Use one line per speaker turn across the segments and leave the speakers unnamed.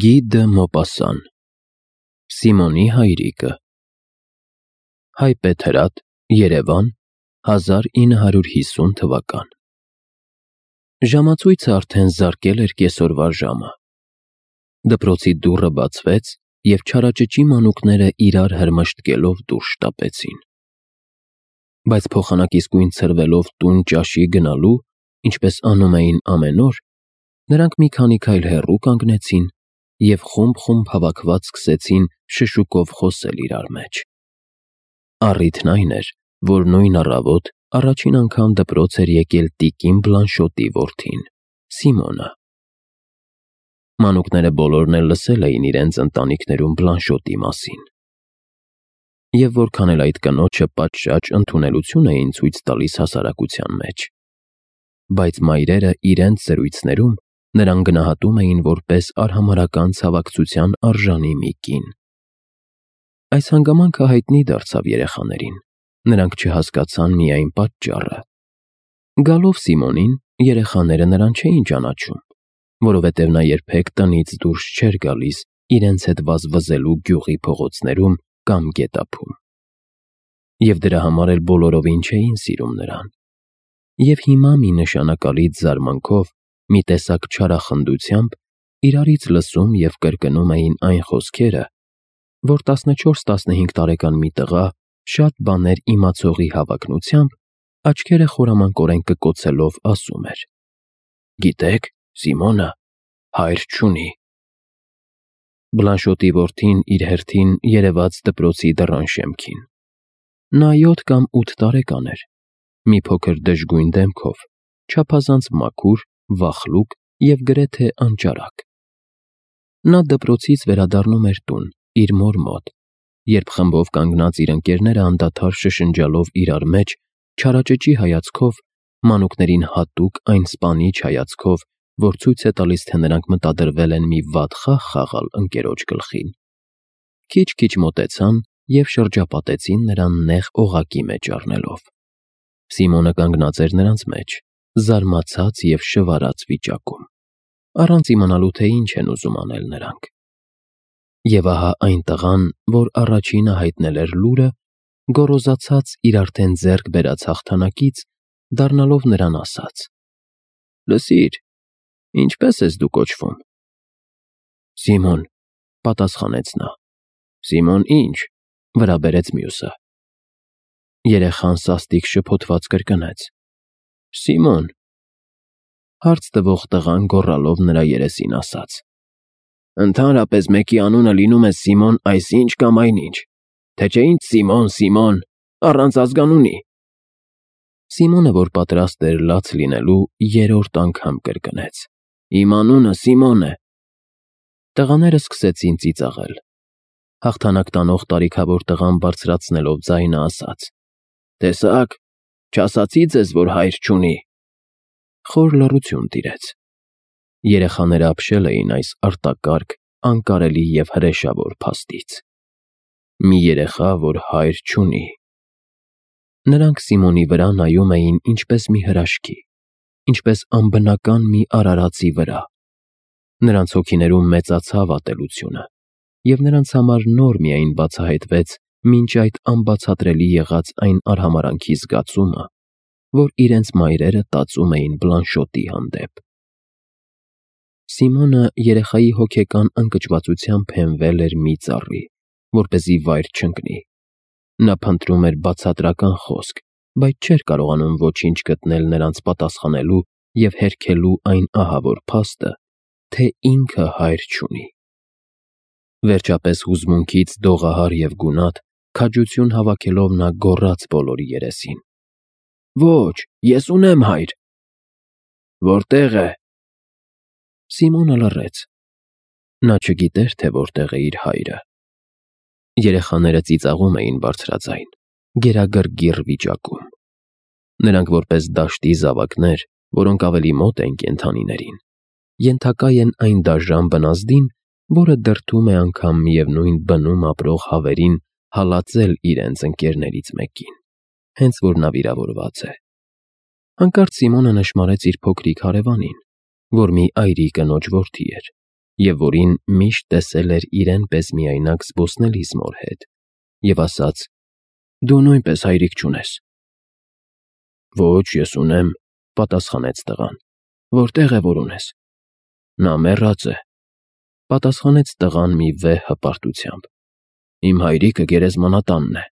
Գի դը Մոպասսան, Սիմոնի հայրիկը, Հայ Պետրատ, Երևան, 1950 թվական։ Ժամացույցը արդեն զարկել էր կեսօրվա ժամը։ Դպրոցի դուռը բացվեց, և չարաճճի մանուկները իրար հրմշտկելով դուրս շտապեցին։ Բայց փոխանակ իսկույն ցրվելով տուն ճաշի գնալու, ինչպես անում էին ամեն օր, նրանք մի քանի քայլ հեռու կանգնեցին և խումբ հավաքված սկսեցին շշուկով խոսել իրար մեջ։ Առիթն այն էր, որ նույն առավոտ առաջին անգամ դպրոց էր եկել տիկին Բլանշոտի որդին՝ Սիմոնը։ Մանուկները բոլորն էլ լսել էին իրենց ընտանիքներում Բլանշոտի մասին։ Եվ որքան էլ այդ կնոջը պատշաճ ընդունելություն էին ցույց տալիս հասարակության մեջ, բայց մայրերը իրենց զրույցներում նրան գնահատում էին որպես արհամարհական ցավակցության արժանի մի կին։ Այս հանգամանքը հայտնի դարձավ երեխաներին, նրանք չհասկացան միայն պատճառը։ Գալով Սիմոնին, երեխաները նրան չէին ճանաչում, որովհետև նա երբեք տնից դուրս չէր գալիս իրենց հետ վազվզելու գյուղի փողոցներում կամ գետափում։ Եվ դրա համար էլ բոլորովին չէին սիրում նրան։ Եվ հիմա մի նշանակալից զարմանքով, մի տեսակ չարախնդությամբ իրարից լսում և կրկնում էին այն խոսքերը, որ 14-15 տարեկան մի տղա շատ բաներ իմացողի հավակնությամբ աչքերը խորամանկորեն կկոցելով ասում էր. «Գիտեք, Սիմոնը հայր չունի»։ Բլանշոտի որդին իր հերթին երևաց դպրոցի դռան շեմքին։ Նա 7 կամ 8 տարեկան էր, մի փոքր դժգույն դեմքով, չափազանց մաքուր, վախլուկ և գրեթե անճարակ։ Նա դպրոցից վերադառնում էր տուն, իր մոր մոտ, երբ խմբով կանգնած իր ընկերները անդադար շշնջալով իրար մեջ, չարաճճի հայացքով, մանուկներին հատուկ այն սպանիչ հայացքով, որ ցույց է տալիս, թե նրանք մտադրվել են մի վատ խաղ խաղալ ընկերոջ գլխին, քիչ-քիչ մոտեցան և շրջապատեցին նրան նեղ օղակի մեջ առնելով։ Սիմոնը կանգնած էր նրանց մեջ, զարմացած և շվարած վիճակում, առանց իմանալու, թե ինչ են ուզում անել նրանք։ Եվ ահա այն տղան, որ առաջինը հայտնել էր լուրը, գոռոզացած իր արդեն ձեռք բերած հաղթանակից, դառնալով նրան ասաց. «Լսիր, ինչպե՞ս ես դու կոչվում»։ «Սիմոն», պատասխանեց նա։ «Սիմոն ի՞նչ», վրա բերեց մյուսը։ Երեխան սաստիկ շփոթված կրկնեց. «Սիմոն»։ Հարց տվող տղան գոռալով նրա երեսին ասաց. «Ընդհանրապես մեկի անունը լինում է Սիմոն այսինչ կամ այնինչ, թե չէ ինչ Սիմոն, Սիմոն, առանց ազգանունի»։ Սիմոնը, որ պատրաստ էր լաց լինելու, 3-րդ անգամ կրկնեց. «Իմ անունը Սիմոն է»։ Տղաները սկսեցին ծիծաղել։ Հաղթանակ տանող տարիքավոր տղան բարձրացնելով ձայնը ասաց. «Տեսա՞ք, չասացի ձեզ, որ հայր չունի»։ Խոր լռություն տիրեց։ Երեխաները ապշել էին այս արտակարգ, անկարելի և հրեշավոր փաստից։ Մի երեխա, որ հայր չունի։ Նրանք Սիմոնի վրա նայում էին ինչպես մի հրաշքի, ինչպես անբնական մի արարածի վրա։ Նրանց հոգիներում մեծացավ ատելությունը, և նրանց համար նոր միայն բացահայտվեց մինչ այդ անբացատրելի եղած այն արհամարհանքի զգացումը, որ իրենց մայրերը տածում էին Բլանշոտի հանդեպ։ Սիմոնը երեխայի հոգեկան ընկճվածությամբ հենվել էր մի ծառի, որպեսզի վայր չընկնի։ Նա փնտրում էր բացատրական խոսք, բայց չէր կարողանում ոչինչ գտնել նրանց պատասխանելու և հերքելու այն ահավոր փաստը, թե ինքը հայր չունի։ Վերջապես հուզմունքից դողահար և գունատ, քաջություն հավաքելով նա գոռաց բոլորի երեսին. «Ոչ, ես ունեմ հայր»։ «Որտե՞ղ է»։ Սիմոնը լռեց։ Նա չգիտեր, թե որտեղ է իր հայրը։ Երեխաները ծիծաղում էին բարձրաձայն, գերագռգիռ վիճակում։ Նրանք որպես դաշտի զավակներ, որոնք ավելի մոտ են կենդանիներին, ենթակա են այն դաժան բնազդին, որը դրդում է անգամ միևնույն բնում ապրող հավերին հալածել իրենց ընկերներից մեկին, հենց որ նա վիրավորված է։ Հանկարծ Սիմոնը նշմարեց իր փոքրիկ հարևանին, որ մի այրի կնոջ որդի էր, և որին միշտ տեսել էր իրեն պես միայնակ զբոսնելիս մոր հետ, և ասաց. «Դու նույնպես հայրիկ չունես»։ «Ոչ, ես ունեմ», պատասխանեց տղան։ «Որտե՞ղ է, որ ունես»։ «Նա մեռած է», պատասխանեց տղան մի վեհ հպարտությամբ։ «Իմ հայրիկը գերեզմանատանն է»։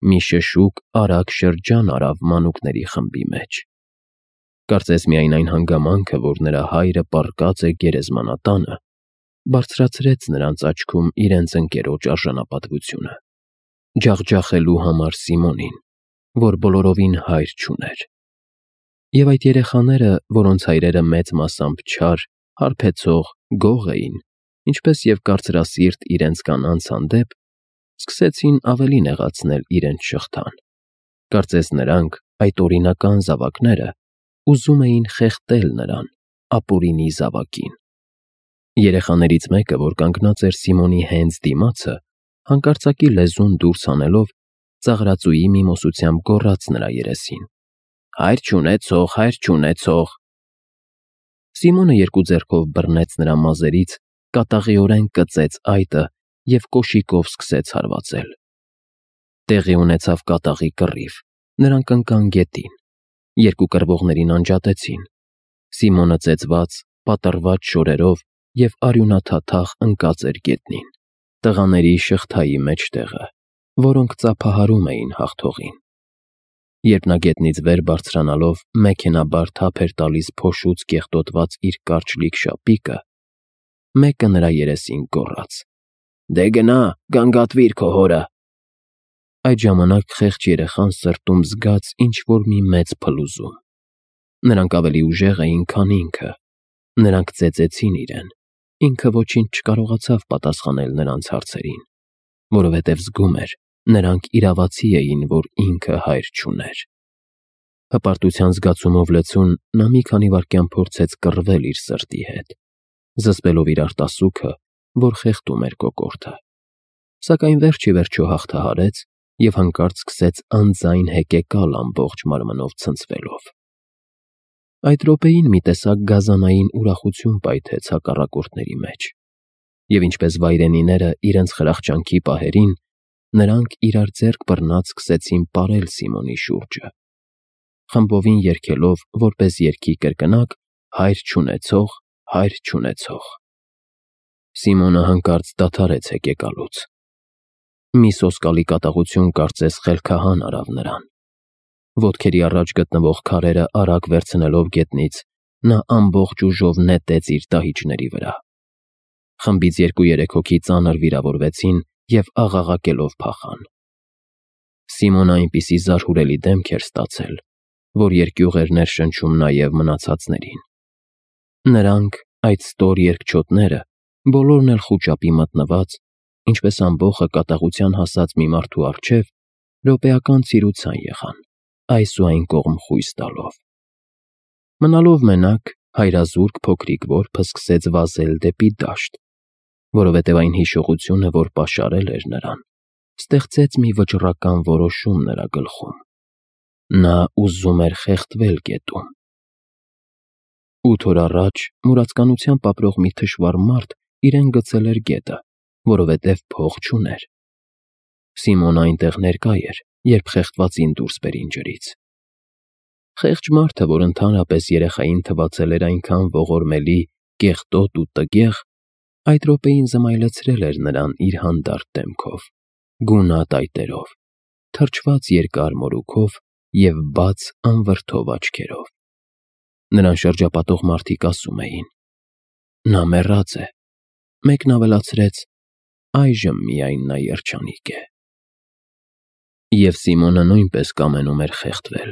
Մի շշուկ արագ շրջան արավ մանուկների խմբի մեջ։ Կարծես միայն այն հանգամանքը, որ նրա հայրը պառկած է գերեզմանատանը, բարձրացրեց նրանց աչքում իրենց ընկերոջ արժանապատվությունը, ջախջախելու համար Սիմոնին, որ բոլորովին հայր չուներ։ Եվ այդ երեխաները, որոնց հայրերը մեծ մասամբ չար, հարբեցող, գող էին, ինչպես և կարծրասիրտ իրենց կանանց հանդեպ, սկսեցին ավելի նեղացնել իրենց շղթան։ Կարծես նրանք, այդ օրինական զավակները, ուզում էին խեղդել նրան, ապօրինի զավակին։ Երեխաներից մեկը, որ կանգնած էր Սիմոնի հենց դիմացը, հանկարծակի լեզուն դուրս հանելով, ծաղրածուի միմոսությամբ գոռաց նրա երեսին. «Հայր չունեցող, հայր չունեցող»։ Սիմոնը երկու ձեռքով բռնեց նրա մազերից, կատաղիորեն կծեց այտը և կոշիկով սկսեց հարվածել։ Տեղի ունեցավ կատաղի կռիվ, նրանք ընկան գետին, երկու կռվողներին անջատեցին։ Սիմոնը ծեծված, պատռված շորերով և արյունաթաթախ ընկած էր գետնին, տղաների շղթայի մեջտեղը, որոնք ծափահարում էին հաղթողին։ Երբ նա գետնից վեր բարձրանալով մեքենաբար թափ էր տալիս փոշուց կեղտոտված իր կարճ լիք շապիկը, մեկը նրա երեսին գոռաց. «Դե գնա, գանգատվիր քո հորը»։ Այդ ժամանակ խեղճ երեխան սրտում զգաց ինչ-որ մի մեծ փլուզում։ Նրանք ավելի ուժեղ էին, քան ինքը։ Նրանք ծեծեցին իրեն, ինքը ոչինչ չկարողացավ պատասխանել նրանց հարցերին, որովհետև զգում էր, նրանք իրավացի էին, որ ինքը հայր չուներ։ Հպարտության զգացումով լեցուն նա մի քանի վայրկյան փորձեց կռվել իր սրտի հետ, զսպելով իր արտասուքը, որ խեղդում էր կոկորդը։ Սակայն վերջ-ի-վերջո հաղթահարեց և հանկարծ սկսեց անձայն հեկեկալ ամբողջ մարմնով ցնցվելով։ Այդ րոպեին մի տեսակ գազանային ուրախություն պայթեց հակառակորդների մեջ, և ինչպես վայրենիները իրենց խրախճանքի պահերին, նրանք իրար ձեռք բռնած սկսեցին պարել Սիմոնի շուրջը, խմբովին երգելով որպես երգի կրկնակ «Հայր չունեցող, հայր չունեցող»։ Սիմոնը հանկարծ դադարեց հեկեկալուց։ Մի սոսկալի կատաղություն կարծես խելքահան արավ նրան։ Ոտքերի առաջ գտնվող քարերը արագ վերցնելով գետնից, նա ամբողջ ուժով նետեց իր դահիճների վրա։ Խմբից 2-3 հոգի ծանր վիրավորվեցին և աղաղակելով փախան։ Սիմոնը այնպիսի զարհուրելի դեմք էր ստացել, որ երկյուղ էր ներշնչում նաև մնացածներին։ Նրանք, այդ ստոր երկչոտները, բոլորն էլ խուճապի մատնված, ինչպես ամբոխը կատաղության հասած մի մարդու առջև, րոպեական ցիրուցան եղան, այս ու այն կողմ խույս տալով։ Մնալով մենակ, հայրազուրկ փոքրիկ որբը սկսեց վազել դեպի դաշտ, որովհետև այն հիշողությունը, որ պաշարել էր նրան, ստեղծեց մի վճռական որոշում նրա գլխում։ Նա ուզում էր խեղդվել գետում։ 8 օր առաջ մուրացկանությամբ ապրող մի թշվառ մարդ իրեն գցել էր գետը, որովհետև փող չուներ։ Սիմոնը այնտեղ ներկա էր, երբ խեղդվածին դուրս բերին ջրից։ Խեղճ մարդը, որ ընդհանրապես երեխային թվացել էր այնքան ողորմելի, կեղտոտ ու տգեղ, այդ րոպեին զմայլեցրել էր նրան իր հանդարտ դեմքով, գունատ այտերով, թրջված երկար մորուքով և բաց անվրդով աչքերով։ Նրան շրջապատող մարդիկ ասում էին. «Նա մեռած է», մեկն ավելացրեց. «Այժմ միայն նա երջանիկ է»։ Եվ Սիմոնը նույնպես կամենում էր խեղդվել,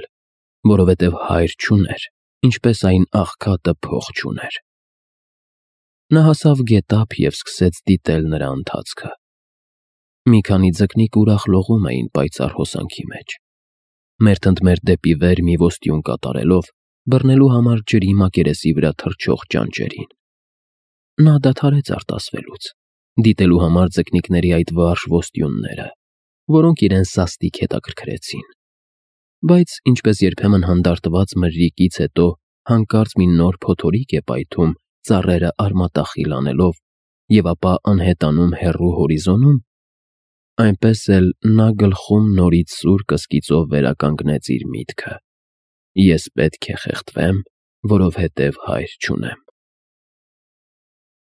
որովհետև հայր չուներ, ինչպես այն աղքատը փող չուներ։ Նա հասավ գետափ և սկսեց դիտել նրա ընթացքը։ Մի քանի ձկնիկ ուրախ լողում էին պայծառ հոսանքի մեջ։ Մերթ ընդ մերթ դեպի վեր մի ոստյուն կատարելով, բռնելու համար ջրի մակերեսի վրա թռչող ճանճերին։ Նա դադարեց արտասվելուց, դիտելու համար ձկնիկների այդ վարժ ոստյունները, որոնք իրեն սաստիկ հետաքրքրեցին։ Բայց ինչպես երբեմն հանդարտված մրրիկից հետո հանկարծ մի նոր փոթորիկ է պայթում ծառերը արմատախիլ անելով և ապա անհետանում հեռու հորիզոնում, այնպես էլ նա գլխում նորից սուր կսկիծով վերականգնեց իր միտքը. «Ես պետք է խեղդվեմ, որովհետև հայր չունեմ»։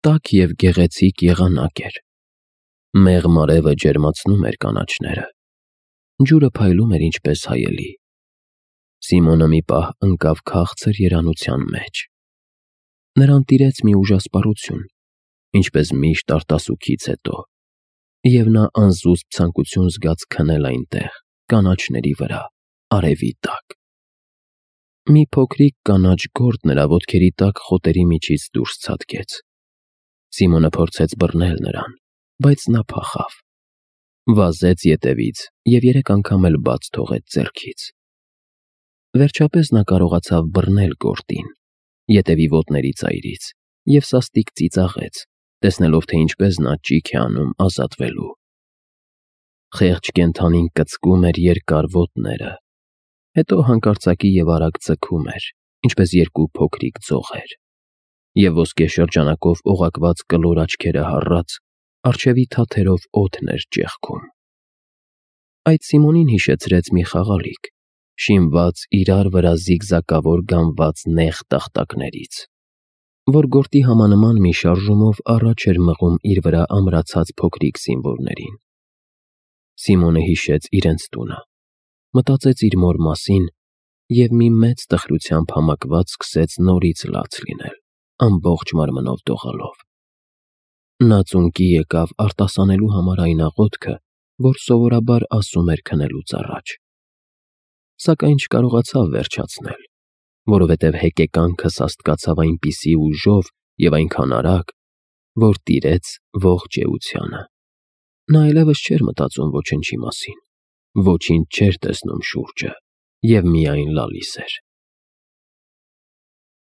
Տաք և գեղեցիկ եղանակ էր։ Մեղմ արևը ջերմացնում էր կանաչները։ Ջուրը փայլում էր ինչպես հայելի։ Սիմոնը մի պահ ընկավ քաղցր երանության մեջ։ Նրան տիրեց մի ուժասպառություն, ինչպես միշտ արտասուքից հետո, և նա անզուսպ ցանկություն զգաց քնել այնտեղ, կանաչների վրա, արևի տակ։ Մի փոքրիկ կանաչ գորգ նրա ոտքերի տակ խոտերի միջից դուրս ցատկեց։ Սիմոնը փորձեց բռնել նրան, բայց նա փախավ։ Վազեց ետևից և 3 անգամ էլ բաց թողեց ձեռքից։ Վերջապես նա կարողացավ բռնել գորտին, ետևի ոտների ծայրից, և սաստիկ ծիծաղեց, տեսնելով, թե ինչպես նա ճիք է անում ազատվելու։ Խեղճ կենդանին կծկում էր երկար ոտները, հետո հանկարծակի և արագ ձգում էր, ինչպես 2 փոքրիկ ձողեր, և ոսկե շրջանակով օղակված կլոր աչքերը հառած, առջևի թաթերով օդն էր ճեղքում։ Այդ Սիմոնին հիշեցրեց մի խաղալիք, շինված իրար վրա զիգզակավոր գամված նեղ տախտակներից, որ գորտի համանման մի շարժումով առաջ էր մղում իր վրա ամրացած փոքրիկ զինվորներին։ Սիմոնը հիշեց իրենց տունը, մտածեց իր մոր մասին և մի մեծ տխրությամբ համակված սկսեց նորից լաց լինել, ամբողջ մարմնով դողալով։ Նա ծունկի եկավ արտասանելու համար այն աղոթքը, որ սովորաբար ասում էր քնելուց առաջ, սակայն չկարողացավ վերջացնել, որովհետև հեկեկանքը սաստկացավ այնպիսի ուժով և այնքան արագ, որ տիրեց ողջ էությանը։ Նա այլևս չէր մտածում ոչնչի մասին, ոչինչ չէր տեսնում շուրջը և միայն լալիս էր։